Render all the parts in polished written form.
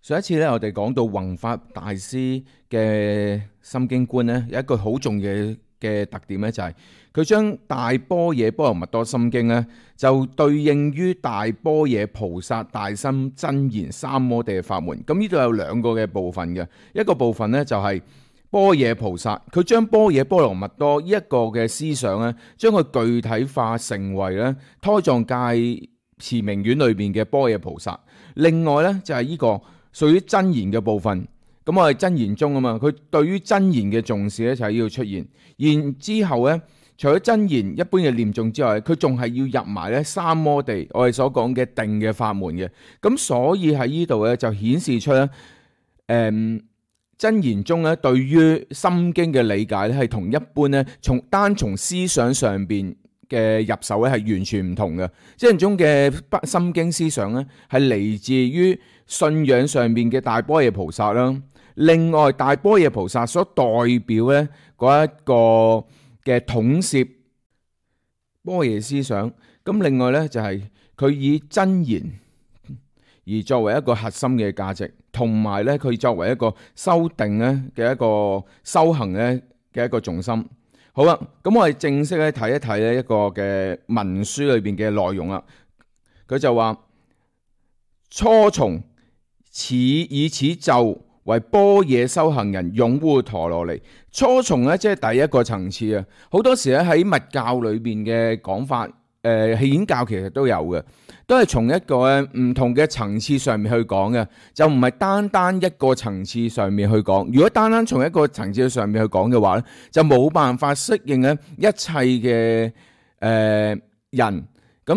上一次咧，我哋講到弘法大師嘅心經觀咧，有一個好重要嘅特點咧，就係佢將大般若波羅蜜多心經咧，就對應於大般若菩薩大心真言三摩地嘅法門。咁呢度有兩個嘅部分嘅，一個部分咧就係般若菩薩，佢將般若波羅蜜多呢一個嘅思想咧，將佢具體化成為咧胎藏界持明院裏邊嘅般若菩薩。另外咧就係呢個屬於真言嘅部分，咁我係真言宗啊嘛，佢對於真言嘅重視咧就係要出現，然之後咧除咗真言一般嘅念誦之外，佢仲係要入埋咧三摩地，我哋所講嘅定嘅法門嘅，咁所以喺呢度咧就顯示出咧，真言宗咧對於心經嘅理解咧係同一般咧從思想上邊嘅入手咧係完全唔同嘅，真言宗嘅心經思想咧係嚟自於信仰上面嘅大般若菩薩啦，另外大般若菩薩所代表咧嗰一個嘅統攝般若思想，咁另外咧就係佢以真言而作為一個核心嘅價值，同埋咧佢作為一個修定咧嘅一個修行咧嘅一個重心。好啦，咁我哋正式咧睇一睇呢一個嘅文書裏邊嘅內容啦。佢就話初從以此咒為般若修行人擁護陀羅尼。初從咧即係第一個層次啊。好多時咧喺密教裏邊嘅講法，顯教其實都有嘅，都係從一個唔同嘅層次上面去講嘅，就唔係單單一個層次上面去講。如果單單從一個層次上面去講嘅話咧，就冇辦法適應咧一切嘅人。咁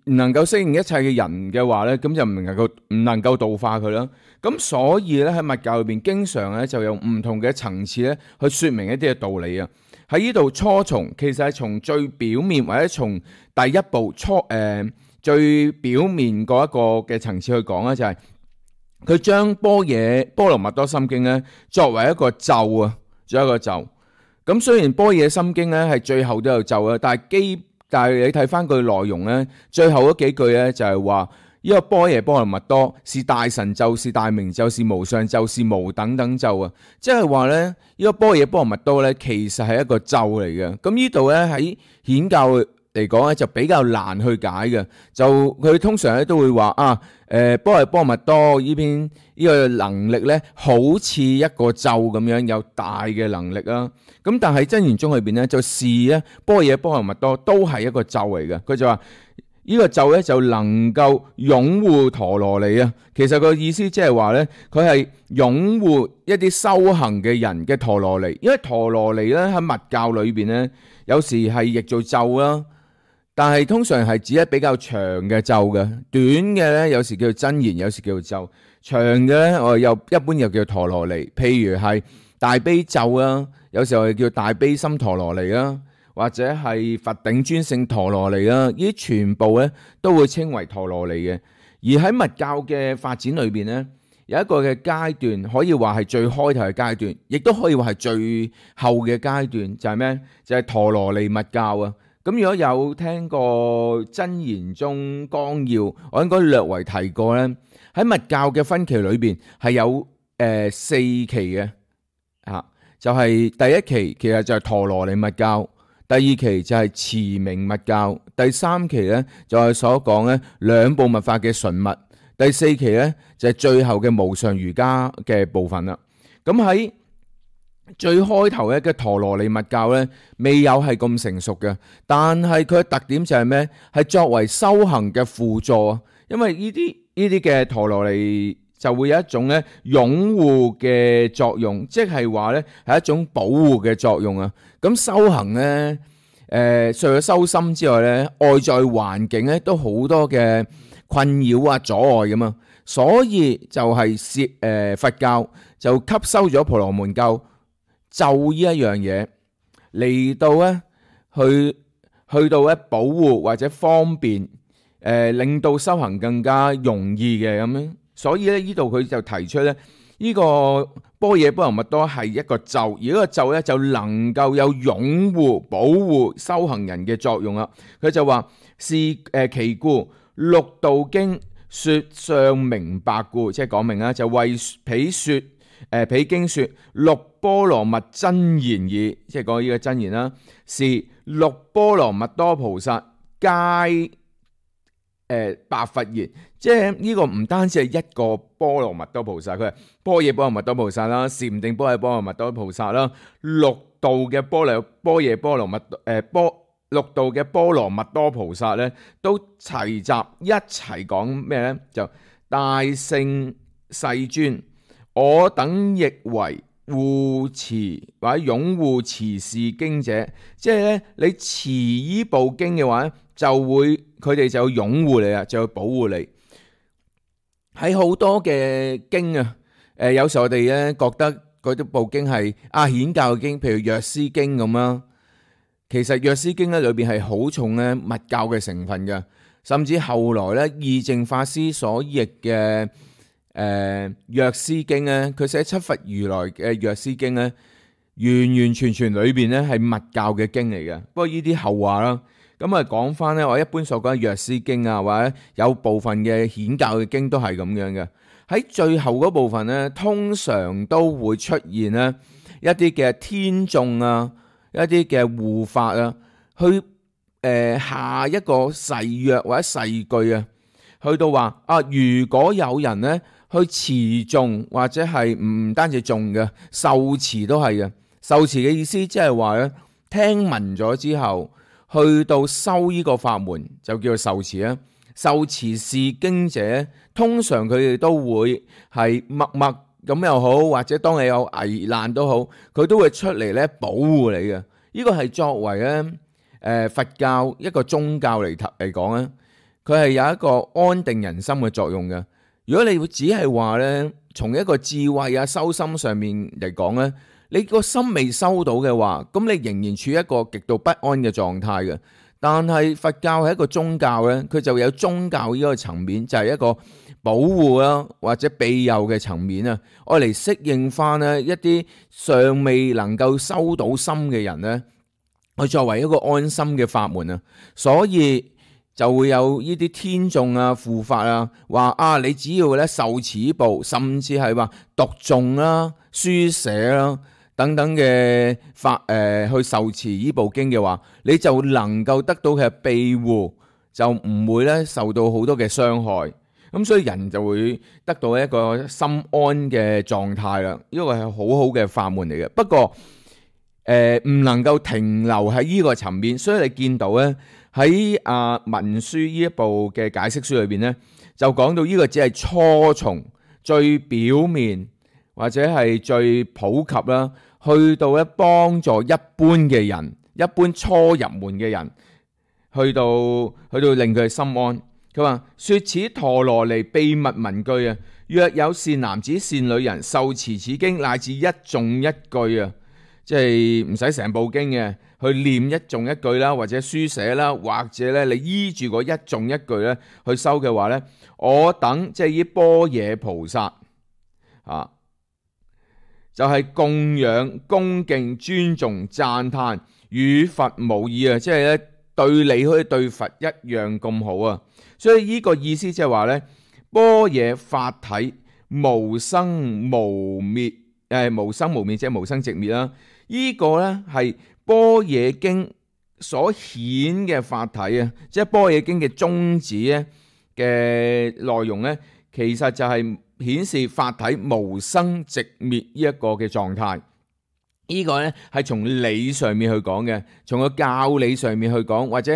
唔能夠適應一切嘅人嘅話咧，咁就唔能夠度化佢啦。咁所以咧喺密教裏邊，經常咧就用唔同嘅層次咧去説明一啲嘅道理啊。喺呢度初從其實係從最表面或者從第一步最表面嗰一個嘅層次去講咧，就係佢將般若波羅蜜多心經咧作為一個咒啊，作為一個咒。咁雖然般若心經咧係最後都有咒啊，但係你睇翻佢內容咧，最後嗰幾句咧就係話呢個般若波羅蜜多是大神咒，是大明咒，是無上咒，是無等等咒啊！即係話咧呢個般若波羅蜜多咧其實係一個咒嚟嘅。咁呢度咧喺顯教嚟講咧就比較難去解嘅，就佢通常咧都會話般若波羅蜜多呢邊呢個能力咧好似一個咒咁樣有大嘅能力啊。咁但係真言宗裏邊咧就視咧般若波羅蜜多都係一個咒嚟嘅。佢就話呢個咒咧就能夠擁護陀羅尼啊。其實個意思即係話咧佢係擁護一啲修行嘅人嘅陀羅尼，因為陀羅尼咧喺密教裏邊咧有時係譯做咒啦，但係通常係指一比較長嘅咒嘅，短嘅咧有時叫做真言，有時叫做咒，長嘅咧我又一般又叫陀羅尼。譬如係大悲咒啦，有時候係叫大悲心陀羅尼啦，或者係佛頂尊勝陀羅尼啦，呢啲全部咧都會稱為陀羅尼嘅。而喺密教嘅發展裏邊咧，有一個嘅階段可以話係最開頭嘅階段，亦都可以話係最後嘅階段，就係咩？就係陀羅尼密教啊！咁如果有聽過真言宗綱要，我應該略為提過咧。喺密教嘅分期裏邊係有四期嘅，就係第一期其實就係陀羅尼密教，第二期就係持明密教，第三期咧就係所講咧兩部密法嘅純密，第四期咧就係最後嘅無上瑜伽嘅部分啦。咁喺最開頭嘅陀羅尼密教咧，未有係咁成熟嘅，但係佢嘅特點就係咩？係作為修行嘅輔助啊，因為呢啲嘅陀羅尼就會有一種咧擁護嘅作用，即係話咧係一種保護嘅作用啊。咁修行咧，除咗修心之外咧，外在環境咧都好多嘅困擾啊、阻礙噶嘛，所以就係佛教就吸收咗婆羅門教咒呢一樣嘢嚟到咧去到咧保護或者方便令到修行更加容易嘅咁樣。所以咧呢度佢就提出咧呢個般若波羅蜜多係一個咒，而呢個咒咧就能夠有擁護保護修行人嘅作用啦。佢就話是其故六道經說相明白故，即係講明啦，就為彼經說六波羅蜜真言耳，即係講呢個真言啦，是六波羅蜜多菩薩皆白佛言，即係呢個唔單止係一個波羅蜜多菩薩，佢係般若波羅蜜多菩薩啦，禪定般若波羅蜜多菩薩啦，六道嘅般若波羅蜜六道嘅波羅蜜多菩薩咧，都齊集一齊講咩咧？就大聖世尊，我等亦為護持或者擁護持是經者，即係咧你持依部經嘅話咧，佢哋就擁護你啊，就保護你。喺好多嘅經啊，有時候我哋咧覺得嗰啲部經係顯教嘅經，譬如藥師經咁啦。其實藥師經咧裏邊係好重咧密教嘅成分嘅，甚至後來咧義淨法師所譯嘅藥師經咧，佢寫七佛如來嘅藥師經咧，完完全全裏邊咧係密教嘅經嚟嘅。不過呢啲後話啦，咁啊講翻咧，我一般所講嘅藥師經啊，或者有部分嘅顯教嘅經都係咁樣嘅。喺最後嗰部分咧，通常都會出現咧一啲嘅天眾啊，一啲嘅護法啊，去下一個誓約或者誓句啊，去到話如果有人咧去持誦或者係唔單止誦嘅，受持都係嘅。受持嘅意思即係話咧，聽聞咗之後，去到修呢個法門就叫做受持啊。受持是經者，通常佢哋都會係默默咁又好，或者當你有危難都好，佢都會出嚟咧保護你嘅。呢個係作為咧佛教一個宗教嚟講咧，佢係有一個安定人心嘅作用嘅。如果你只係話咧，從一個智慧啊修心上面嚟講咧，你個心未收到嘅話，咁你仍然處於一個極度不安嘅狀態嘅。但係佛教係一個宗教咧，佢就有宗教呢個層面，就係一個保護啦或者庇佑嘅層面啊，愛嚟適應翻咧一啲尚未能夠收到心嘅人咧，去作為一個安心嘅法門啊。所以就會有呢啲天眾啊、護法啊，話你只要咧受持呢部，甚至係話讀誦啦、書寫啦等等嘅法去受持呢部經嘅話，你就能夠得到嘅庇護，就唔會咧受到好多嘅傷害。咁所以人就會得到一個心安嘅狀態啦。呢個係好好嘅法門嚟嘅。不過唔能夠停留喺呢個層面，所以你見到咧喺文書呢一部嘅解釋書裏邊咧，就講到呢個只係初從最表面或者係最普及啦，去到咧幫助一般嘅人，一般初入門嘅人，去到令佢心安。佢話說此陀羅尼秘密文句啊，若有善男子善女人受持此經，乃至一誦一句啊，即係唔使成部經嘅，去念一誦一句啦，或者書寫啦，或者咧你依住嗰一誦一句咧去修嘅話咧，我等即係依般若菩薩就係供養、恭敬、尊重、讚歎，與佛無異啊！即係咧對你好似對佛一樣咁好啊！所以呢個意思即係話咧，般若法體無生無滅，無生無滅即係無生寂滅啦。呢個咧係般若經所顯嘅法體啊，即係般若經嘅宗旨咧嘅內容咧，其實就係顯示法體無生寂滅呢一個嘅狀態。呢個咧係從理上面去講嘅，從個教理上面去講，或者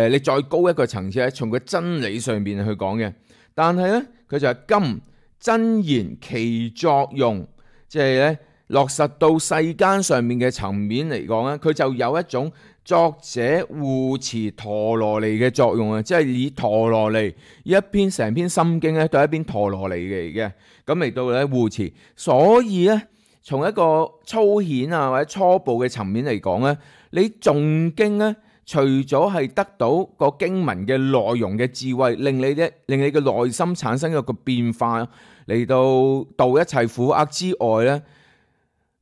你再高一個層次咧，從個真理上面去講嘅。但係咧，佢就係今真言其作用，即係咧落實到世間上面嘅層面嚟講咧，佢就有一種作者護持陀羅尼嘅作用啊！即係以陀羅尼一篇成篇心經咧，對一篇陀羅尼嚟嘅，咁嚟到咧護持。所以咧，從一個粗顯啊或者初步嘅層面嚟講咧，你誦經咧，除咗係得到個經文嘅內容嘅智慧，令你嘅內心產生一個變化，嚟到度一切苦厄之外咧，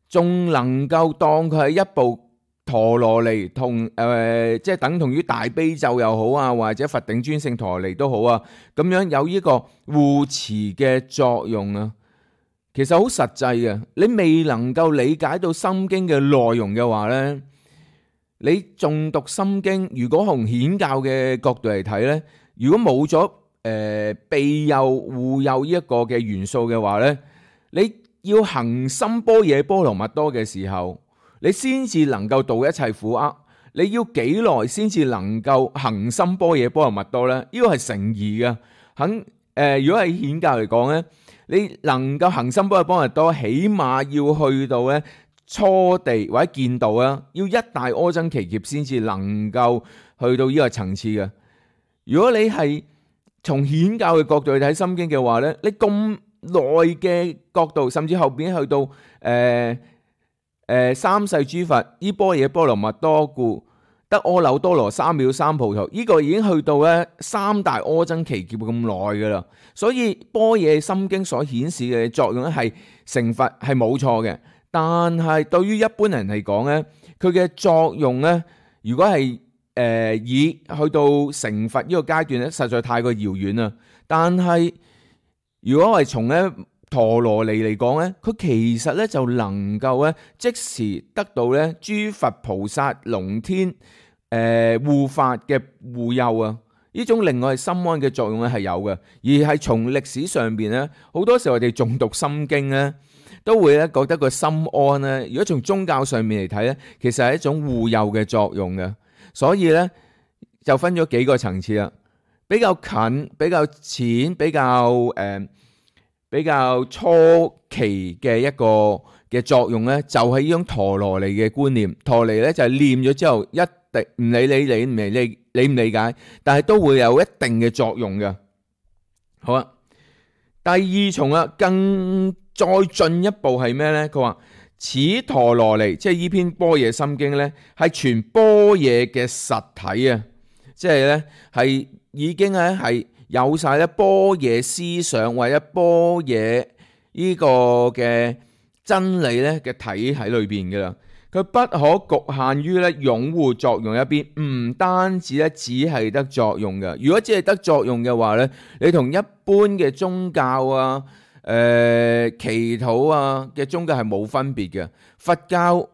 仲能夠當佢係一部陀羅尼同即係等同於大悲咒又好啊，或者佛頂尊勝陀羅尼都好啊，咁樣有呢個護持嘅作用啊。其實好實際嘅，你未能夠理解到心經嘅內容嘅話呢，你誦讀心經，如果從顯教嘅角度嚟睇呢，如果冇咗庇佑護佑呢一個嘅元素嘅話呢，你要行深般若波羅蜜多嘅時候，你先至能夠度一切苦厄。你要幾耐先至能夠行深般若波羅蜜多呢？呢個係成疑嘅。如果係顯教嚟講呢，你能夠行深般若波羅蜜多，起碼要去到咧初地或者見道啊，要一大阿僧祇劫先至能夠去到呢個層次嘅。如果你係從顯教嘅角度去睇心經嘅話咧，你咁耐嘅角度，甚至後邊去到三世諸佛依般若波羅蜜多故，得阿耨多羅三藐三菩提，呢個已經去到咧三大阿僧祇劫咁耐噶啦。所以般若心經所顯示嘅作用咧係成佛係冇錯嘅，但係對於一般人嚟講咧，佢嘅作用咧，如果係以去到成佛呢個階段咧，實在太過遙遠啦。但係如果係從咧陀羅尼嚟講咧，佢其實咧就能夠咧即時得到咧諸佛菩薩龍天護法嘅護佑啊！呢種另外心安嘅作用咧係有嘅，而係從歷史上邊咧，好多時候我哋誦讀心經咧，都會咧覺得個心安咧。如果從宗教上面嚟睇咧，其實係一種護佑嘅作用嘅。所以咧就分咗幾個層次啦，比較近、比較淺、比較初期嘅一個嘅作用咧，就係呢種陀羅尼嘅觀念。陀羅尼咧就係念咗之後，一定唔理你理唔理解，但係都會有一定嘅作用嘅。好啊，第二重啊，更再進一步係咩咧？佢話此陀羅尼，即係呢篇般若心經咧，係全般若嘅實體啊！即係咧係已經咧係有晒咧般若思想或者般若呢個嘅真理咧嘅體喺裏邊嘅啦。佢不可局限於咧擁護作用一邊，唔單止咧只係得作用嘅。如果只係得作用嘅話咧，你同一般嘅宗教啊、祈禱啊嘅宗教係冇分別嘅。佛教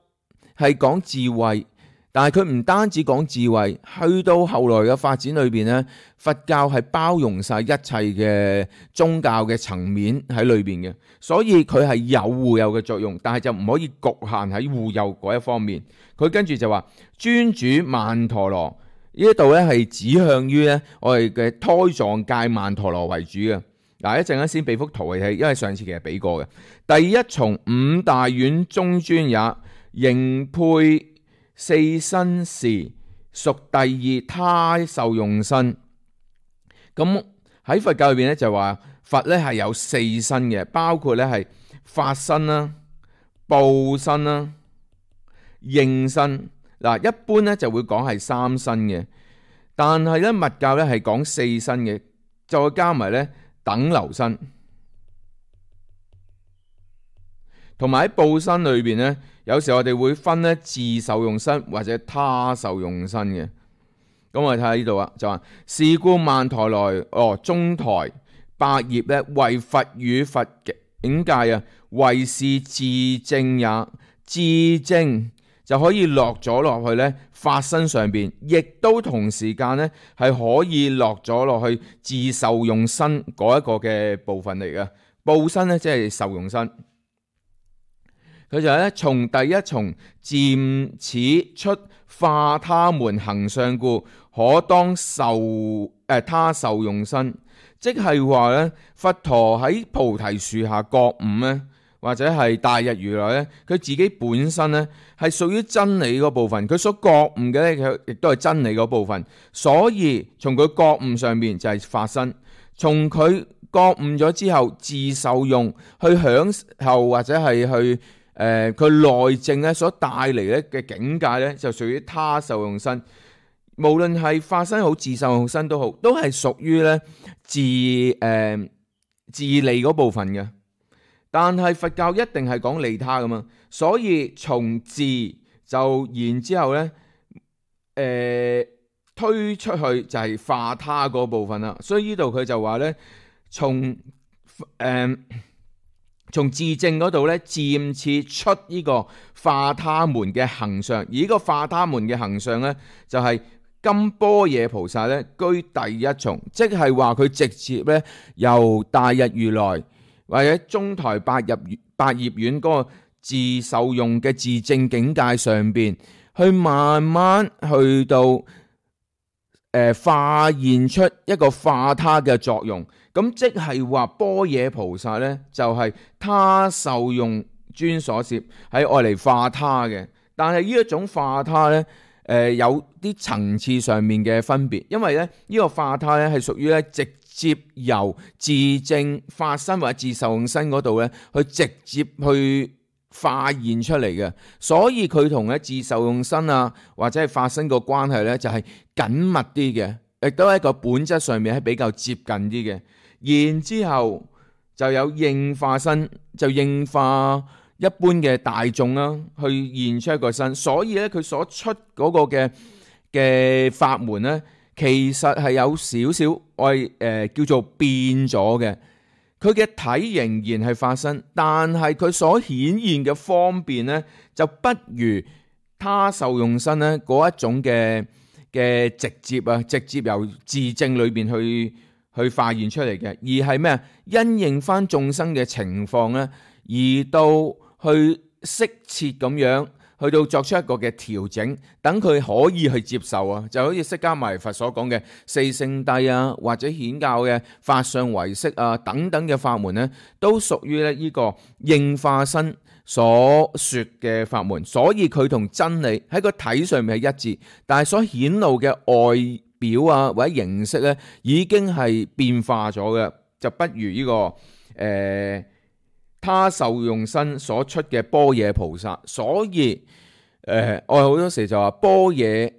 係講智慧，但係佢唔單止講智慧，去到後來嘅發展裏邊咧，佛教係包容晒一切嘅宗教嘅層面喺裏邊嘅，所以佢係有護佑嘅作用，但係就唔可以局限喺護佑嗰一方面。佢跟住就話尊主曼陀羅呢一度咧係指向於咧我哋嘅胎藏界曼陀羅為主嘅。嗱，一陣間先俾幅圖嚟睇，因為上次其實俾過嘅。第一從五大院中尊也，形配四身時，屬第二他受用身。咁喺佛教裏邊咧就話佛咧係有四身嘅，包括咧係法身啦、報身啦、應身。嗱，一般咧就會講係三身嘅，但係咧密教咧係講四身嘅，再加埋咧等流身，同埋喺報身裏邊咧，有時我哋會分咧自受用身或者他受用身嘅。咁我哋睇下呢度啊，就話是故曼陀羅中台百葉咧，為佛與佛境界啊，為是自證也。自證就可以落咗落去咧法身上邊，亦都同時間咧係可以落咗落去自受用身嗰一個嘅部分嚟嘅。報身咧即係受用身。佢就係咧從第一重漸此出化他們行相故，可當他受用身，即係話咧佛陀喺菩提樹下覺悟咧，或者係大日如來咧，佢自己本身咧係屬於真理嗰部分，佢所覺悟嘅咧佢亦都係真理嗰部分，所以從佢覺悟上面就係法身，從佢覺悟咗之後自受用去享受或者係去佢內證咧所帶嚟咧嘅境界咧就屬於他受用身。無論係法身好自受用身都好，都係屬於咧自利嗰部分嘅。但係佛教一定係講利他噶嘛，所以從自就然之後咧，推出去就係化他嗰部分啦。所以呢度佢就話咧，從自證嗰度咧，漸次出呢個化他們嘅行相，而呢個化他們嘅行相咧，就係金般若菩薩咧居第一重，即係話佢直接咧由大日如來或者中台百葉院嗰個自受用嘅自證境界上邊，去慢慢去到化現出一個化他嘅作用。咁即係話般若菩薩咧就係他受用專所攝，係愛嚟化他嘅。但係呢一種化他咧，有啲層次上面嘅分別，因為咧呢個化他咧係屬於咧直接由自證法身或者自受用身嗰度咧去直接去化現出嚟嘅，所以佢同咧自受用身啊或者係法身個關係咧就係緊密啲嘅，亦都係一個本質上面係比較接近啲嘅。然之後就有應化身，就應化一般嘅大眾啦，去現出一個身。所以咧佢所出嗰個嘅法門咧，其實係有少少叫做變咗嘅。佢嘅體仍然係法身，但係佢所顯現嘅方便咧，就不如他受用身咧嗰一種嘅直接由自證裏邊去化現出嚟嘅，而係咩啊？因應翻眾生嘅情況咧，而到去適切咁樣去到作出一個嘅調整，等佢可以去接受啊！就好似釋迦牟尼佛所講嘅四聖諦啊，或者顯教嘅法相唯識啊等等嘅法門咧，都屬於咧呢個應化身所說嘅法門，所以佢同真理喺個體上面係一致，但係所顯露嘅外表啊或者形式咧，已經係變化咗嘅，就不如呢個他受用身所出嘅般若菩薩。所以我好多時就話般若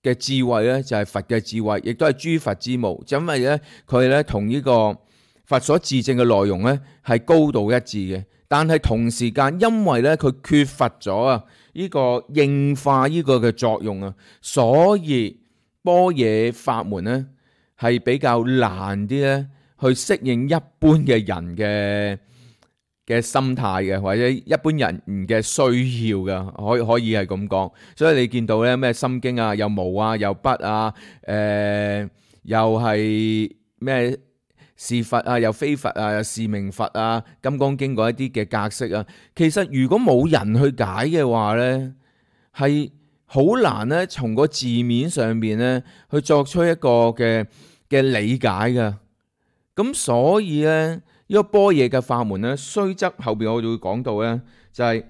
嘅智慧咧就係佛嘅智慧，亦都係諸佛之母，因為咧佢咧同呢個佛所自證嘅內容咧係高度一致嘅，但係同時間因為咧佢缺乏咗啊呢個應化呢個嘅作用啊，所以般若法門咧係比較難啲咧去適應一般嘅人嘅心態嘅，或者一般人嘅需要嘅，可以係咁講。所以你見到咧咩心經啊，有毛啊，有筆啊，又係咩是佛啊，又非佛啊，又是名佛啊，金剛經嗰一啲嘅格式啊，其實如果冇人去解嘅話咧，係好難咧從個字面上邊咧去作出一個嘅理解嘅。咁所以咧呢個般若嘅法門咧，雖則後邊我哋會講到咧，就係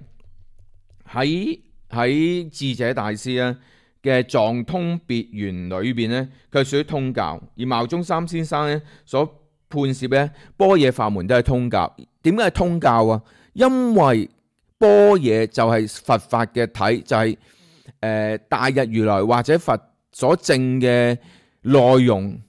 喺智者大師咧嘅藏通別圓裏邊咧，佢係屬於通教，而牟宗三先生咧所判攝咧般若法門都係通教。點解係通教啊？因為般若就係佛法嘅體，就係大日如來或者佛所證嘅內容，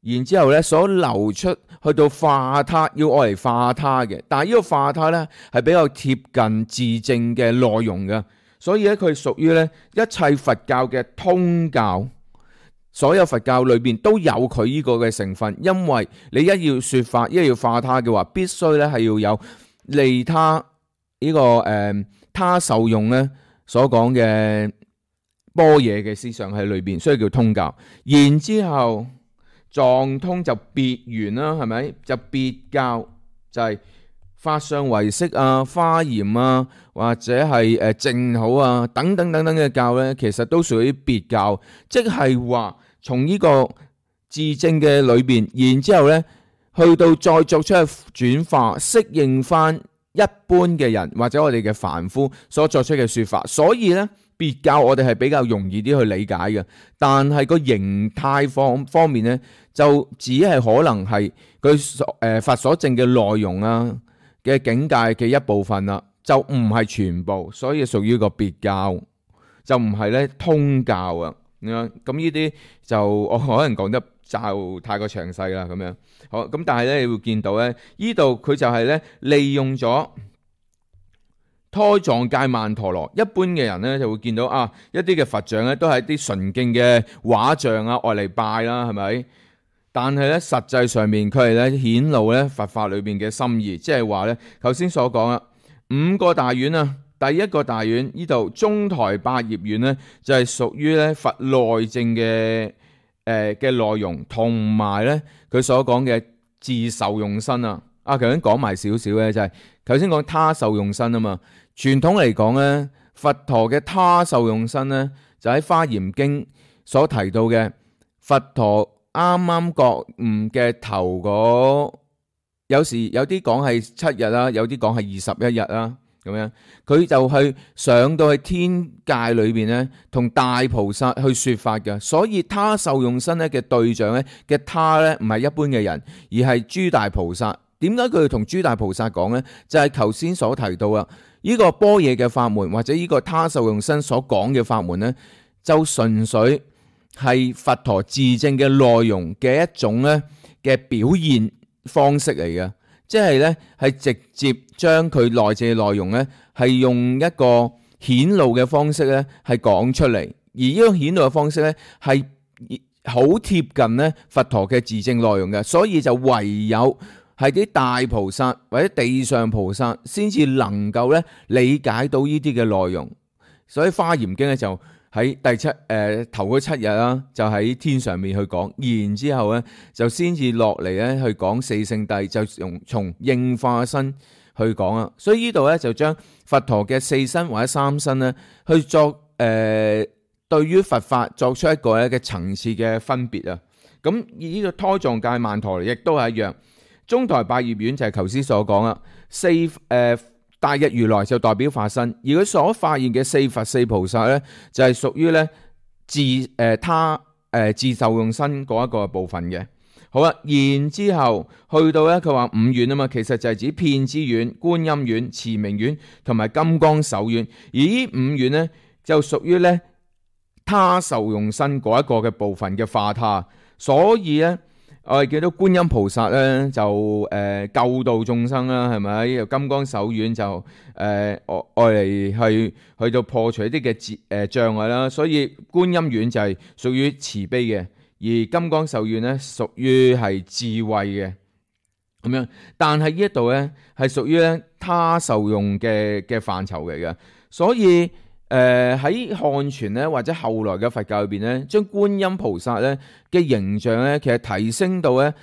然之後咧所流出去到化他，要愛嚟化他嘅。但係呢個化他咧係比較貼近自證嘅內容嘅，所以咧佢屬於咧一切佛教嘅通教。所有佛教裏邊都有佢呢個嘅成分，因為你一要說法，一要化他嘅話，必須咧係要有利他呢個他受用咧所講嘅般若嘅思想喺裏邊，所以叫通教。然之後藏通就別圓啦，係咪？就別教，就係法相唯識啊、華嚴啊，或者係淨土啊等等嘅教咧，其實都屬於別教，即係話從呢個自證嘅裏邊，然之後咧去到再作出轉化，適應翻一般嘅人或者我哋嘅凡夫所作出嘅說法，所以咧別教我哋係比較容易啲去理解嘅，但係個形態方面咧就只係可能係佢佛所證嘅內容啊嘅境界嘅一部分啦，就唔係全部，所以屬於個別教，就唔係咧通教啊。咁呢啲就我可能講得就太過詳細啦，咁樣好咁，但係咧你會見到咧，呢度佢就係咧利用咗胎藏界曼陀羅。一般嘅人咧就會見到一啲嘅佛像咧都係一啲純淨嘅畫像愛嚟拜啦，係咪？但係咧實際上面佢係咧顯露咧佛法裏邊嘅心意，即係話咧頭先所講啦，5個大院啊。第一個大院呢度中台百葉院咧就係屬於咧佛內證嘅內容，同埋咧佢所講嘅自受用身啊。頭先講埋少少咧，就係頭先講他受用身啊嘛。傳統嚟講咧，佛陀嘅他受用身咧就喺《華嚴經》所提到嘅佛陀啱啱覺悟嘅頭嗰，有時有啲講係7日啦，有啲講係21日啦。咁樣佢就去上到去天界裏邊咧，同大菩薩去說法嘅。所以他受用身咧嘅對象咧嘅他咧唔係一般嘅人，而係諸大菩薩。點解佢要同諸大菩薩講咧？就係頭先所提到啊，呢個般若嘅法門或者呢個他受用身所講嘅法門咧，就純粹係佛陀自證嘅內容嘅一種咧嘅表現方式嚟嘅。即係咧，係直接將佢內證嘅內容咧，係用一個顯露嘅方式咧，係講出嚟。而呢個顯露嘅方式咧，係好貼近咧佛陀嘅自證內容嘅，所以就唯有係啲大菩薩或者地上菩薩先至能夠咧理解到呢啲嘅內容。所以《華嚴經》咧就喺頭嗰7日啦，就喺天上面去講，然之後咧就先至落嚟咧去講四聖諦，就從應化身去講啊。所以呢度咧就將佛陀嘅4身或者3身咧去作對於佛法作出一個咧嘅層次嘅分別啊。咁呢個胎藏界曼陀羅亦都係一樣，中台百葉院就係頭先所講啦，大日如來就代表化身，而佢所發現嘅4佛4菩薩咧，就係屬於咧自受用身嗰一個部分嘅。好啦，然之後去到咧，佢話5院啊嘛，其實就係指遍知院、觀音院、持明院同埋金剛手院，而呢5院咧就屬於咧他受用身嗰一個嘅部分嘅化他，所以咧。我哋見到觀音菩薩咧就救度眾生啦，係咪？又金剛手院就愛嚟去到破除一啲嘅障礙啦，所以觀音院就係屬於慈悲嘅，而金剛手院咧屬於係智慧嘅咁樣。但係呢一度咧係屬於咧他受用嘅範疇嚟嘅，所以。喺漢傳咧或者後來嘅佛教裏邊咧，將觀音菩薩咧嘅形象咧，其實提升到咧，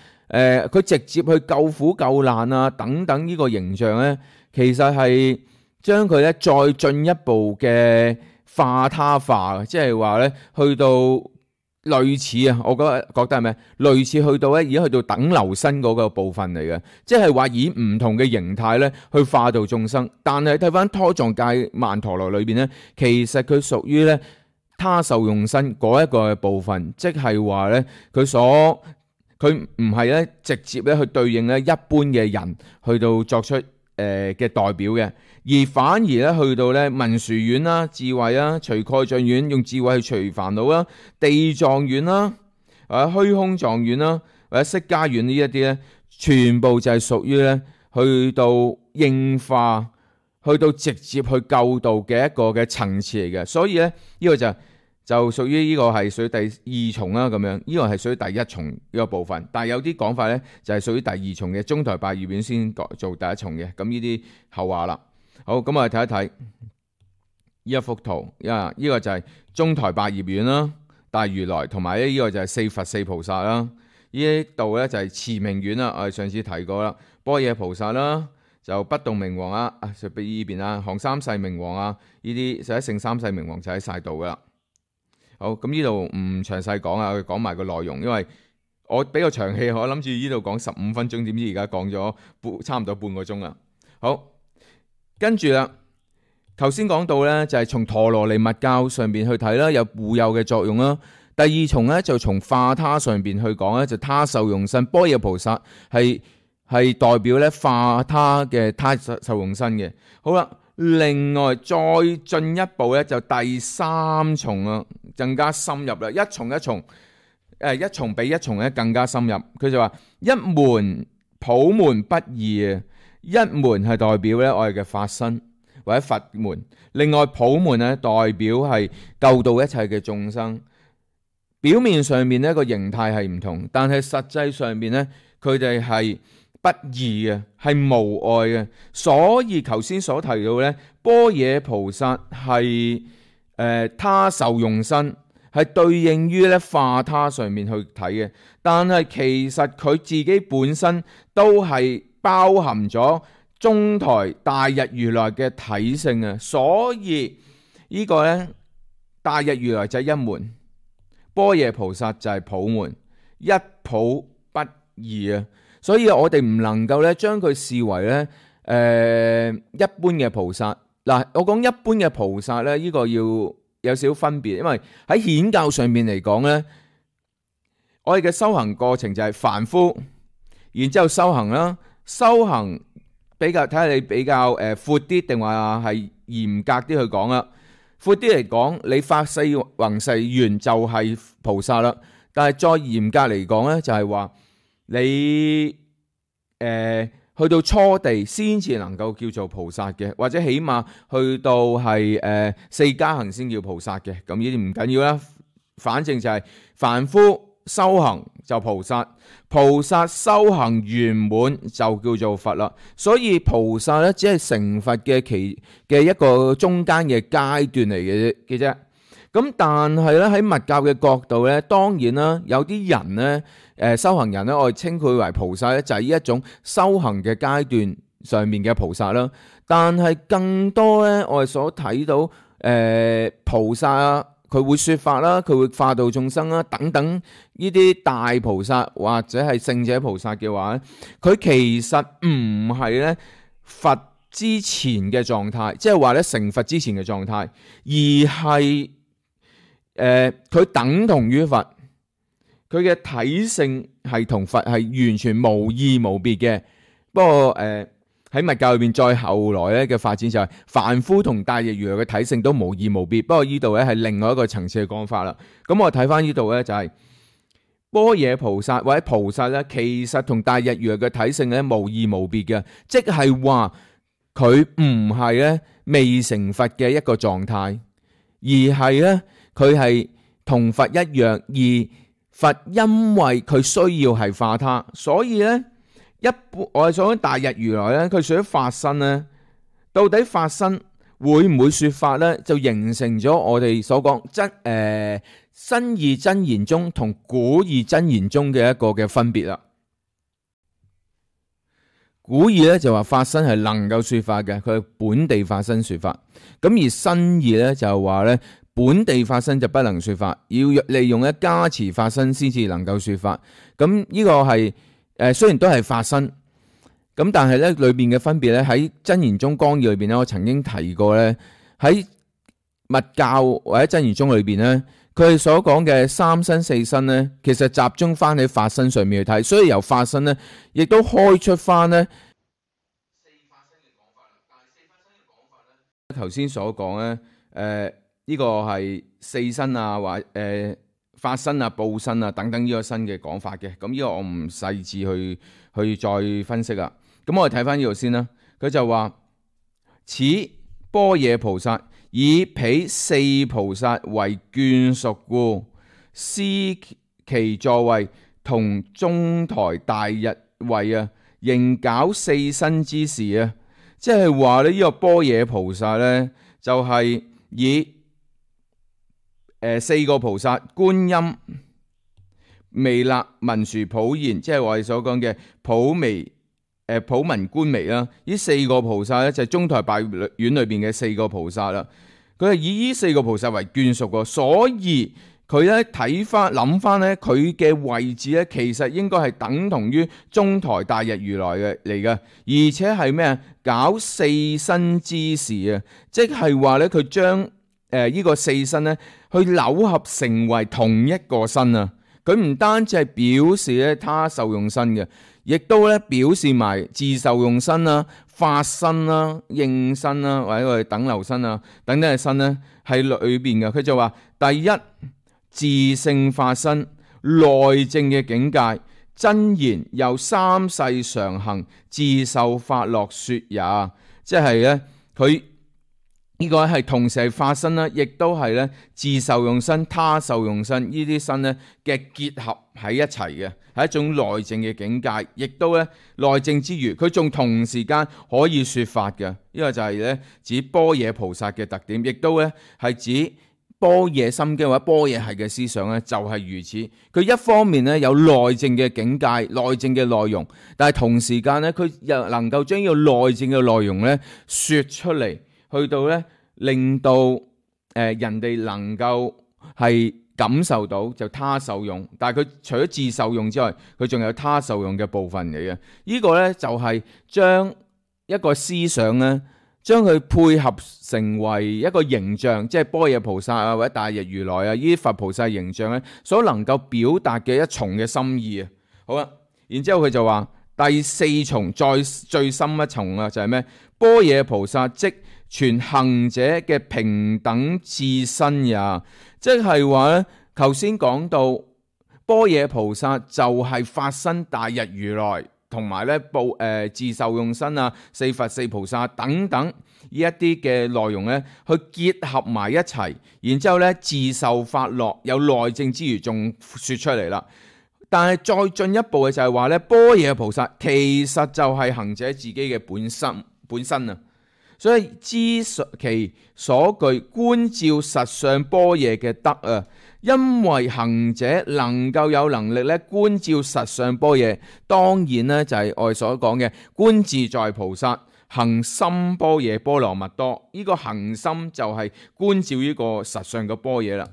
佢直接去救苦救難啊等等呢個形象咧，其實係將佢咧再進一步嘅化他化，即係話咧去到類似啊，我覺得係咩？類似去到咧，而家去到等流身嗰個部分嚟嘅，即係話以唔同嘅形態咧去化度眾生。但係睇翻胎藏界曼陀羅裏邊咧，其實佢屬於咧他受用身嗰一個部分，即係話咧佢唔係咧直接咧去對應咧一般嘅人去到作出嘅代表嘅，而反而咧去到咧文殊院啦、智慧啦、除蓋障院用智慧去除煩惱啦、地藏院啦、虛空藏院啦或者釋迦院呢一啲咧，全部就係屬於咧去到應化、去到直接去救度嘅一個嘅層次嚟嘅。所以咧呢個就屬於呢個係屬於第2重啦，咁樣呢個係屬於第1重呢個部分，但係有啲講法咧就係屬於第2重嘅，中台百葉院先做第1重嘅，咁呢啲後話啦。好，咁我哋睇一睇呢一幅圖，呢個就係中台百葉院啦，大如來同埋呢個就係4佛4菩薩啦，呢度咧就係持明院啦，我哋上次提過啦，般若菩薩啦，就不動明王啊，就俾呢邊啦，行三世明王啊，呢啲就喺聖三世明王就喺晒度噶啦。好，咁呢度唔詳細講啊，我講埋個內容，因為我比較長氣，我諗住呢度講15分鐘，點知而家講咗差唔多半個鐘啦。好，跟住啦，頭先講到咧就係從陀羅尼密教上邊去睇啦，有護佑嘅作用啦。第2重咧就從化他上邊去講咧，就他受用身，般若菩薩係代表咧化他嘅他受用身嘅。好啦。另外再進一步咧，就第3重啊，更加深入啦。一重比一重咧更加深入。佢就話一門普門不二啊，一門係代表咧我哋嘅法身，或者佛門。另外普門咧代表係救度一切嘅眾生。表面上面呢個形態係唔同，但係實際上面呢，佢哋係不二嘅，係無礙嘅。所以頭先所提到呢，般若菩薩係他受用身，係對應於咧化他上面去睇嘅。但係其實佢自己本身都係包含咗中台大日如來嘅體性啊。所以呢個呢，大日如來就係一門，般若菩薩就係普門，一普不二啊！所以我哋唔能夠咧將佢視為咧一般嘅菩薩。嗱，我講一般嘅菩薩咧，呢個要有少少分別，因為喺顯教上面嚟講咧，我哋嘅修行過程就係凡夫，然之後修行啦，修行比較睇下你比較闊啲定話係嚴格啲去講啦。闊啲嚟講，你發四弘誓願就係菩薩啦。但係再嚴格嚟講咧，就係話你去到初地先至能夠叫做菩薩嘅，或者起碼去到係四加行先叫菩薩嘅。咁呢啲唔緊要啦，反正就係凡夫修行就菩薩，菩薩修行圓滿就叫做佛啦。所以菩薩咧只係成佛嘅一個中間嘅階段嚟嘅啫。咁但係咧喺密教嘅角度咧，當然啦，有啲人咧修行人咧，我哋稱佢為菩薩咧，就係呢一種修行嘅階段上面嘅菩薩啦。但係更多咧，我哋所睇到菩薩啊，佢會說法啦，佢會化度眾生啦，等等呢啲大菩薩或者係聖者菩薩嘅話咧，佢其實唔係咧佛之前嘅狀態，即係話咧成佛之前嘅狀態，而係佢等同於佛，佢嘅體性係同佛係完全無異無別嘅。不過喺密教裏邊再後來咧嘅發展就係凡夫同大日如來嘅體性都無異無別。不過呢度咧係另外一個層次嘅講法啦。咁我睇翻呢度咧就係般若菩薩或者菩薩咧，其實同大日如來嘅體性咧無異無別嘅，即係話佢唔係咧未成佛嘅一個狀態，而係咧佢係同佛一樣，而佛因為佢需要係化他，所以咧一般我哋所講大日如來咧，佢除咗法身咧，到底法身會唔會說法咧，就形成咗我哋所講新義真言宗同古義真言宗嘅一個嘅分別啦。古義咧就話法身係能夠說法嘅，佢係本地法身說法。咁而新義咧就話咧本地法身就不能說法，要利用一加持法身先至能夠說法。咁呢個係雖然都係法身，咁但係咧裏邊嘅分別咧喺真言宗綱要裏邊咧，我曾經提過咧，喺密教或者真言宗裏邊咧，佢哋所講嘅三身四身咧，其實集中翻喺法身上面去睇，所以由法身咧亦都開出翻咧四法身嘅講法啦。但係四法身嘅講法咧，頭先所講咧，呢個係四身啊，或法身啊、報身啊等等呢個新嘅講法嘅。咁呢個我唔細緻去再分析啦。咁我哋睇翻呢度先啦。佢就話此般若菩薩以彼四菩薩為眷屬故，施其座位同中台大日位啊，仍搞四身之事啊。即係話呢個般若菩薩呢，就係以四個菩薩觀音、彌勒、文殊、普賢，即係我哋所講嘅普彌、普文、觀彌啦。呢四個菩薩咧就係中台大院裏邊嘅四個菩薩啦。佢係以呢四個菩薩為眷屬嘅，所以佢咧睇翻諗翻咧，佢嘅位置咧其實應該係等同於中台大日如來嘅嚟嘅，而且係咩啊？搞四身之事啊！即係話咧，佢將呢個四身咧，去扭合成為同一個身啊！佢唔單止係表示咧他受用身嘅，亦都咧表示埋自受用身啦、法身啦、應身啦，或者我哋等流身啊等等嘅身咧喺裏邊嘅。佢就話第一自性法身內證嘅境界，真言由三世常行自受法樂說也，即係咧佢呢個係同時係化身啦，亦都係咧自受用身、他受用身呢啲身咧嘅結合喺一齊嘅，係一種內證嘅境界，亦都咧內證之餘，佢仲同時間可以說法嘅。呢個就係咧指般若菩薩嘅特點，亦都咧係指般若心經或者般若系嘅思想咧，就係如此。佢一方面咧有內證嘅境界、內證嘅內容，但係同時間咧佢又能夠將呢個內證嘅內容咧說出嚟。去到咧，令到人哋能夠係感受到就他受用，但係佢除咗自受用之外，佢仲有他受用嘅部分嚟嘅。呢個咧就係將一個思想咧，將佢配合成為一個形象，即係般若菩薩啊，或者大日如來啊，呢啲佛菩薩形象咧，所能夠表達嘅一重嘅心意啊。好啦，然之後佢就話第四重再最深一重啊，就係咩？般若菩薩即全行者嘅平等自身也，即係話咧，頭先講到般若菩薩就係法身大日如來，同埋咧自受用身啊、四佛四菩薩等等呢一啲嘅內容咧，去結合埋一齊，然之後咧自受法樂，有內證之餘仲說出嚟啦。但係再進一步嘅就係話咧，般若菩薩其實就係行者自己嘅本身啊。所以知其所具，觀照實相般若嘅德啊，因為行者能夠有能力咧觀照實相般若，當然咧就係我哋所講嘅觀自在菩薩行深般若波羅蜜多。呢個行深就係觀照呢個實相嘅般若啦。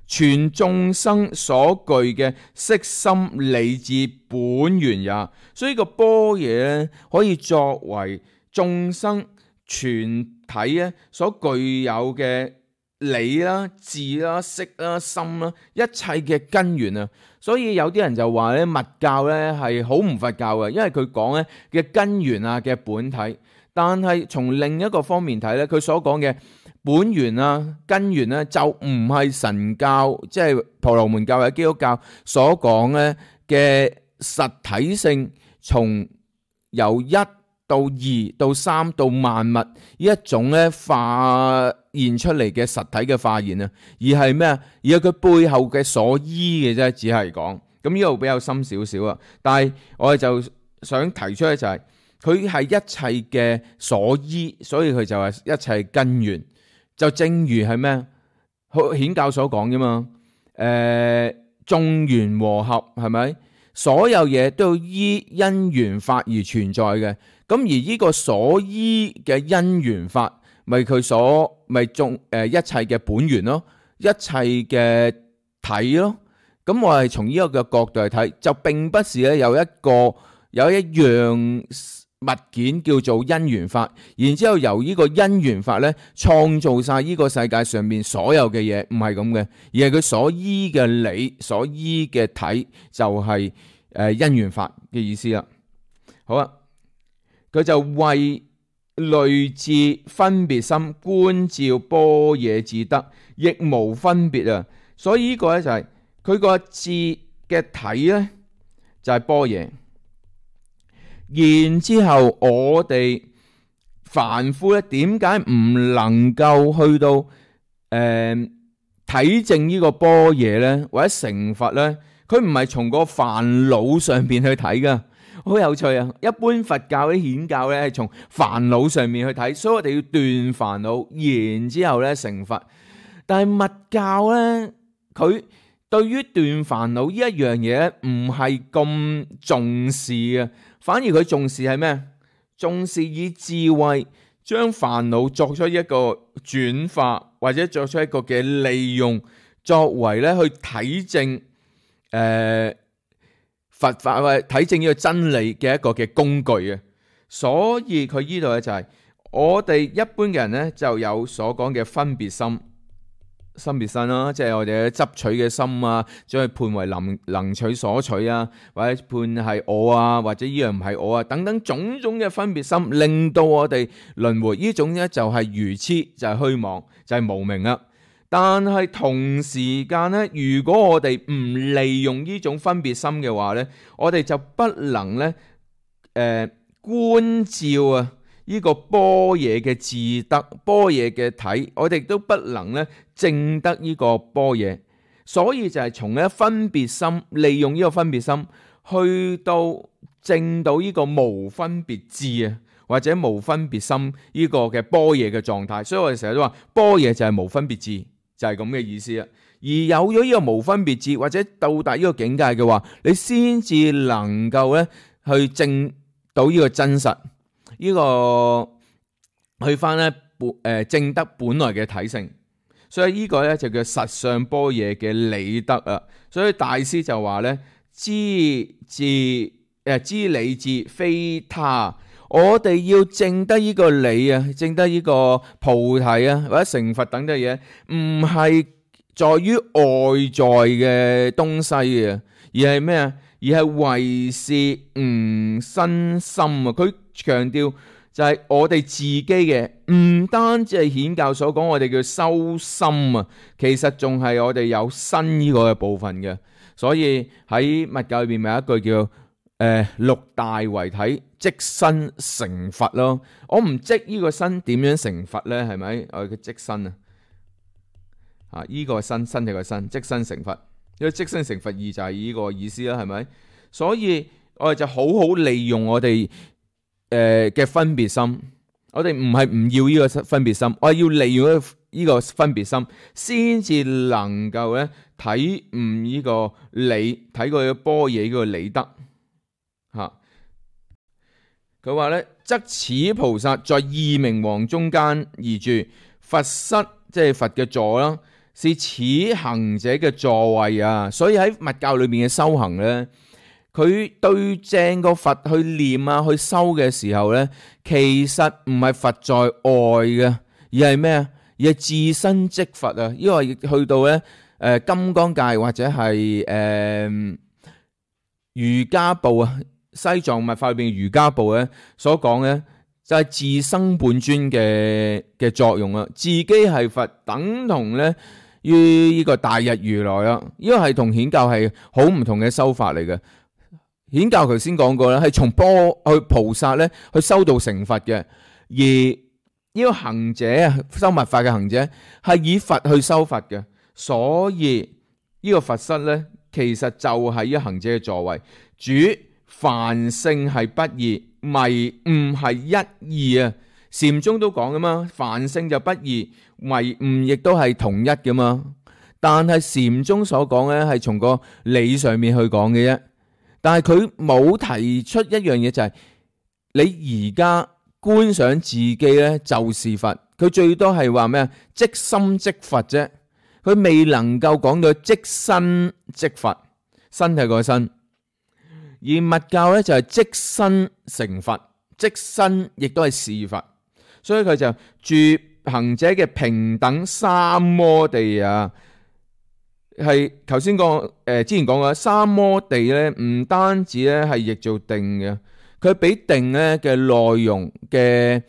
全眾生所具嘅色心理智本源也，所以呢個般若咧可以作為眾生全體咧所具有嘅理啦、智啦、識啦、心啦，一切嘅根源啊。所以有啲人就話咧，密教咧係好唔佛教嘅，因為佢講咧嘅根源啊嘅本體。但係從另一個方面睇咧，佢所講嘅本源啊、根源咧，就唔係神教，即係婆羅門教或者基督教所講咧嘅實體性，從由一到二到三到萬物呢一種咧化現出嚟嘅實體嘅化現啊，而係咩啊？而係佢背後嘅所依嘅啫，只係講咁呢度比較深少少啊。但係我哋就想提出咧就係佢係一切嘅所依，所以佢就係一切根源。就正如係咩？顯教所講啫嘛。眾緣和合係咪？所有嘢都要依因緣法而存在嘅。咁而呢個所依嘅因緣法，咪佢所咪眾一切嘅本源咯，一切嘅體咯。咁我係從呢一個角度嚟睇，就並不是咧有一樣物件叫做因緣法，然之後由呢個因緣法咧創造晒呢個世界上面所有嘅嘢，唔係咁嘅，而係佢所依嘅理、所依嘅體就係因緣法嘅意思啦。好啊，佢就為類智分別心觀照般若智德，亦無分別啊。所以呢個咧就係佢個智嘅體咧就係般若。然之後我哋凡夫咧，點解唔能夠去到體證呢個般若咧，或者成佛咧？佢唔係從個煩惱上邊去睇噶，好有趣啊！一般佛教啲顯教咧係從煩惱上面去睇，所以我哋要斷煩惱，然之後咧成佛。但係密教咧，佢對於斷煩惱呢一樣嘢唔係咁重視嘅。反而佢重視係咩？重視以智慧將煩惱作出一個轉化，或者作出一個嘅利用，作為咧去體證佛法或者體證呢個真理嘅一個嘅工具嘅。所以佢呢度咧就係我哋一般嘅人咧就有所講嘅分別心。分別心啦，即係我哋嘅執取嘅心啊，將佢判為能取所取啊，或者判係我啊，或者呢樣唔係我啊，等等種種嘅分別心，令到我哋輪迴。呢種咧就係愚痴，就係虛妄，就係無明啦。但係同時間咧，如果我哋唔利用呢種分別心嘅話咧，我哋就不能咧觀照啊呢個般若嘅自得、般若嘅體，我哋都不能咧證得呢個般若。所以就係從咧分別心，利用呢個分別心去到證到呢個無分別智啊，或者無分別心呢個嘅般若嘅狀態。所以我哋成日都話般若就係無分別智，就係咁嘅意思啊。而有咗呢個無分別智，或者到達呢個境界嘅話，你先至能夠咧去證到呢個真實，呢個去翻咧證得本來嘅體性。所以呢個咧就叫實相般若嘅理得啊。所以大師就話咧，知理智非他，我哋要證得呢個理啊，證得呢個菩提啊，或者成佛等嘅嘢，唔係在於外在嘅東西嘅，而係咩啊？而係為是悟身心啊！佢強調就係我哋自己嘅，唔單止係顯教所講我哋叫修心啊，其實仲係我哋有身呢個嘅部分嘅。所以喺密教裏邊咪有一句叫六大為體，即身成佛咯。我唔即呢個身點樣成佛咧？係咪我嘅即身啊？呢個身體個身，即身成佛。因為即身成佛義就係呢個意思啦，係咪？所以我哋就好好利用我哋嘅分別心，我哋唔係唔要呢個分別心，我係要利用呢個分別心，先至能夠咧體悟呢個理，睇過嘅般若呢個理得吓。佢話咧，則此菩薩在二明王中間而住，佛室即係佛嘅座啦，是此行者嘅座位啊。所以喺密教裏面嘅修行咧，佢對正個佛去念啊，去修嘅時候咧，其實唔係佛在外嘅，而係咩啊？而係自身即佛啊！因為去到咧金剛界或者係瑜伽部啊，西藏密法裏邊瑜伽部咧所講咧，就係自生本尊嘅作用啊！自己係佛，等同咧於呢個大日如來啊！呢個係同顯教係好唔同嘅修法嚟嘅。顯教頭先講過啦，係從菩薩咧去修道成佛嘅，而呢個行者啊，修密法嘅行者係以佛去修佛嘅，所以呢個佛室咧，其實就係呢個行者嘅座位。主凡聖係不二，迷悟係一二啊。禪宗都講噶嘛，凡聖就不二，迷悟亦都係同一噶嘛。但係禪宗所講咧，係從個理上面去講嘅啫。但係佢冇提出一樣嘢，就係你而家觀想自己咧就是佛，佢最多係話咩啊？即心即佛啫，佢未能夠講到即身即佛，身係個身。而密教咧就係即身成佛，即身亦都係是佛，所以佢就住行者嘅平等三摩地啊。係頭先講之前講過三摩地咧，唔單止咧係譯做定嘅，佢比定咧嘅內容嘅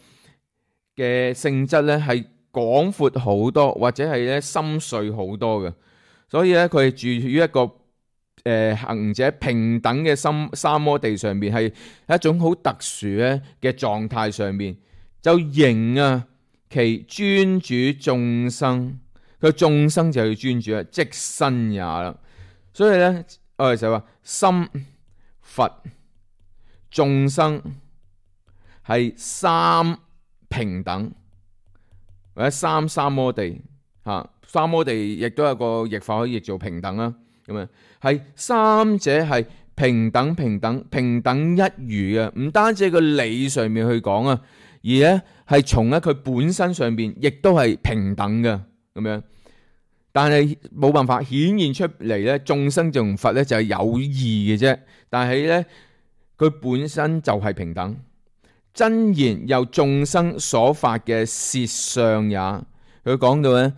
性質咧係廣闊好多，或者係咧深邃好多嘅。所以咧佢係住於一個行者平等嘅三摩地上面，係一種好特殊咧嘅狀態上面，就迎啊其專主眾生。佢眾生就要專注啊，即身也啦。所以咧，我哋就話心、佛、眾生係三平等，或者三摩地嚇。三摩地亦都有個譯法可以譯做平等啦。咁啊，係三者係平等一如嘅，唔單止喺個理上面去講啊，而咧係從咧佢本身上邊亦都係平等嘅咁樣。但係冇辦法顯現出嚟咧，眾生同佛咧就係有異嘅啫。但係咧，佢本身就係平等。真言由眾生所發嘅舌相也，佢講到咧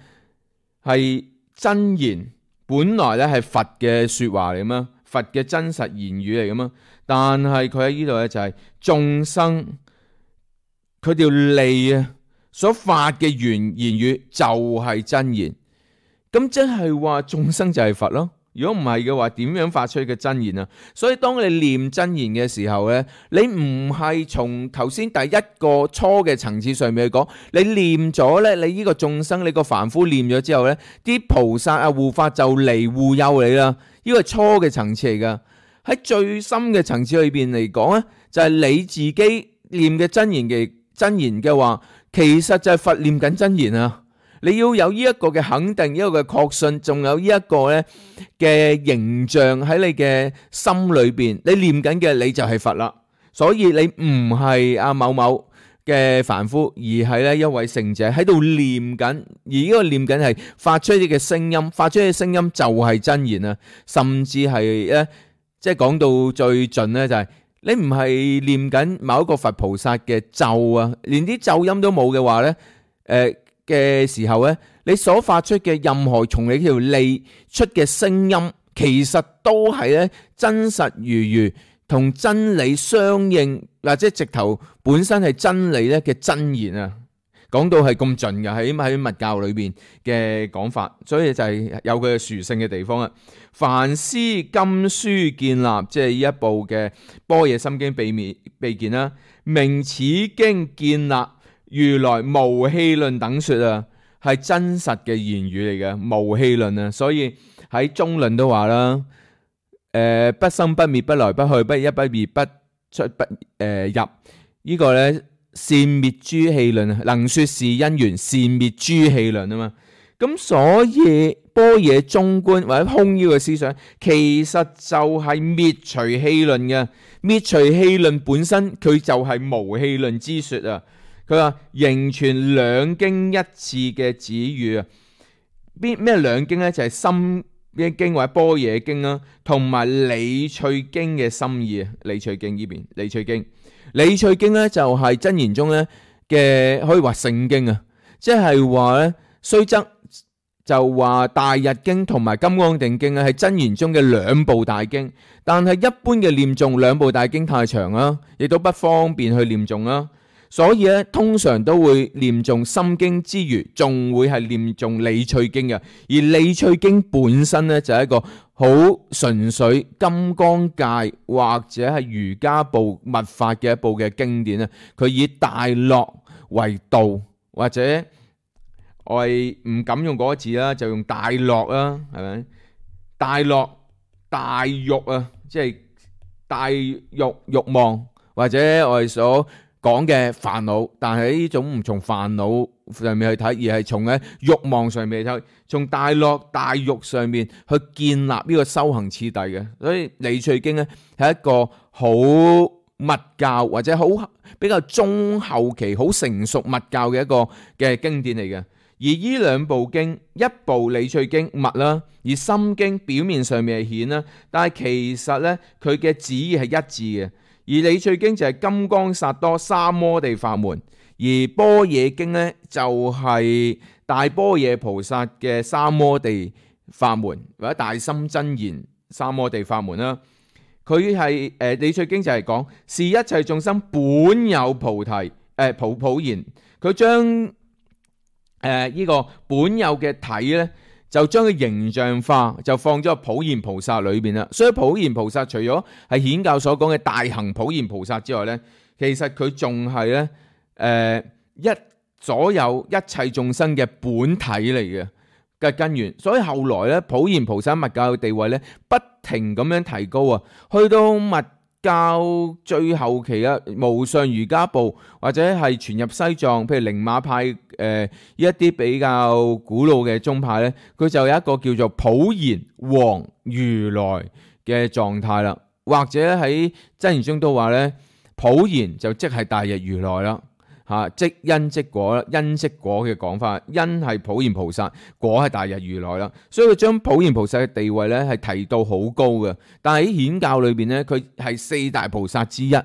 係真言，本來咧係佛嘅說話嚟嘛，佛嘅真實言語嚟噶嘛。但係佢喺呢度咧就係眾生佢條脷啊所發嘅言語就係真言。咁即係話眾生就係佛咯，如果唔係嘅話，點樣發出嘅真言啊？所以當你念真言嘅時候呢，你唔係從頭先第一個初嘅層次上面去講，你念咗呢，你呢個眾生，你個凡夫念咗之後呢，啲菩薩啊護法就嚟護佑你啦。呢個係初嘅層次嚟噶。喺最深嘅層次裏邊嚟講呢，就係你自己念嘅真言嘅話，其實就係佛念緊真言啊。你要有呢一個嘅肯定，呢個嘅確信，仲有呢一個咧嘅形象喺你嘅心裏邊，你念緊嘅你就係佛啦。所以你唔係阿某某嘅凡夫，而係咧一位聖者喺度念緊，而呢個念緊係發出啲嘅聲音，發出嘅聲音就係真言啊。甚至係咧，即係講到最盡咧，就係你唔係念緊某一個佛菩薩嘅咒啊，連啲咒音都冇嘅話咧，嘅時候咧，你所發出嘅任何從你條脷出嘅聲音，其實都係咧真實如同真理相應，或者直頭本身係真理咧嘅真言啊！講到係咁盡嘅，喺密教裏邊嘅講法，所以就係有佢嘅殊勝嘅地方啊！梵師金書建立，即係呢一部嘅《般若心經》秘見啦，明此經建立如來無戲論等說啊，係真實嘅言語嚟嘅，無戲論啊，所以喺中論都話啦，不生不滅，不來不去，不一不二，不出不入，呢個咧善滅諸戲論，能說是因緣，善滅諸戲論啊嘛。咁所以般若中觀或者空呢個思想，其實就係滅除戲論嘅，滅除戲論本身佢就係無戲論之說啊。佢話仍存兩經一次嘅指語啊，咩兩經咧？就係心經或者般若經啦，同埋理趣經嘅心意啊。理趣經呢邊，理趣經咧就係真言中咧嘅可以話聖經啊，即係話咧雖則就話大日經同埋金剛定經咧係真言中嘅兩部大經，但係一般嘅念誦兩部大經太長啦，亦都不方便去念誦啦。所以咧，通常都會念誦心經之餘，仲會係念誦理趣經嘅。而理趣經本身咧就係一個好純粹金剛界或者係瑜伽部密法嘅一部嘅經典啊。佢以大樂為道，或者我係唔敢用嗰個字啦，就用大樂啦，係咪？大樂大欲啊，即係大欲望，或者我哋所講嘅煩惱，但係呢種唔從煩惱上面去睇，而係從喺欲望上面去睇，從大樂大欲上面去建立呢個修行次第嘅。所以理趣經咧係一個好密教或者好比較中後期好成熟密教嘅一個嘅經典嚟嘅。而呢兩部經，一部理趣經密啦，而心經表面上面係顯啦，但係其實咧佢嘅旨意係一致嘅。而理趣經就係金剛薩埵三摩地法門，而般若經咧就係大般若菩薩嘅三摩地法門，或者大心真言三摩地法門啦。佢係理趣經就係講是一切眾生本有菩提普賢，佢將呢個本有嘅體咧，就將佢形象化，就放咗喺普賢菩薩裏邊啦。所以普賢菩薩除咗係顯教所講嘅大行普賢菩薩之外咧，其實佢仲係咧所有一切眾生嘅本體嚟嘅根源。所以後來咧，普賢菩薩密教嘅地位咧，不停咁樣提高啊，去到密教最後期啊，無上瑜伽部或者係傳入西藏，譬如寧瑪派一啲比較古老嘅宗派咧，佢就有一個叫做普賢王如來嘅狀態啦。或者喺真言中都話咧，普賢就即係大日如來啦。即因即果啦，因即果嘅講法，因係普賢菩薩，果係大日如來啦，所以佢將普賢菩薩嘅地位咧係提到好高嘅。但係喺顯教裏邊咧，佢係四大菩薩之一，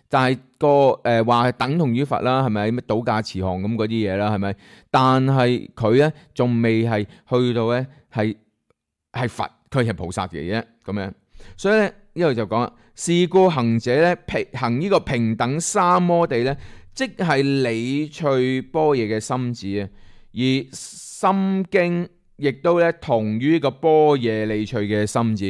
但係個話係等同於佛啦，係咪？咩倒駕慈航咁嗰啲嘢啦，係咪？但係佢咧仲未係去到咧係佛，佢係菩薩嘅啫咁樣。所以咧呢度就講啦，是故行者咧行呢個平等三摩地咧，即係理趣般若嘅心智啊，而心經亦都咧同於呢個般若理趣嘅心字，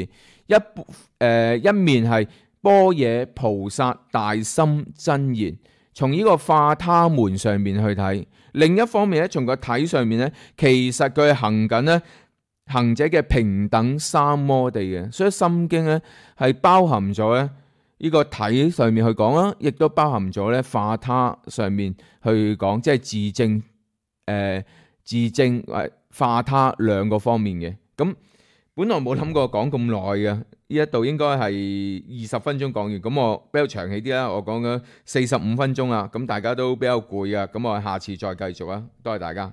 一面係般若菩薩大心真言，從呢個化他門上面去睇；另一方面咧，從個體上面咧，其實佢係行緊咧行者嘅平等三摩地嘅，所以心經咧係包含咗咧呢個體上面去講啦，亦都包含咗咧化他上面去講，即係自證化他兩個方面嘅。咁本來冇諗過講咁耐嘅，呢一度應該係20分鐘講完，咁我比較長氣啲啦，我講咗45分鐘啦，咁大家都比較攰啊，咁我下次再繼續啊，多謝大家。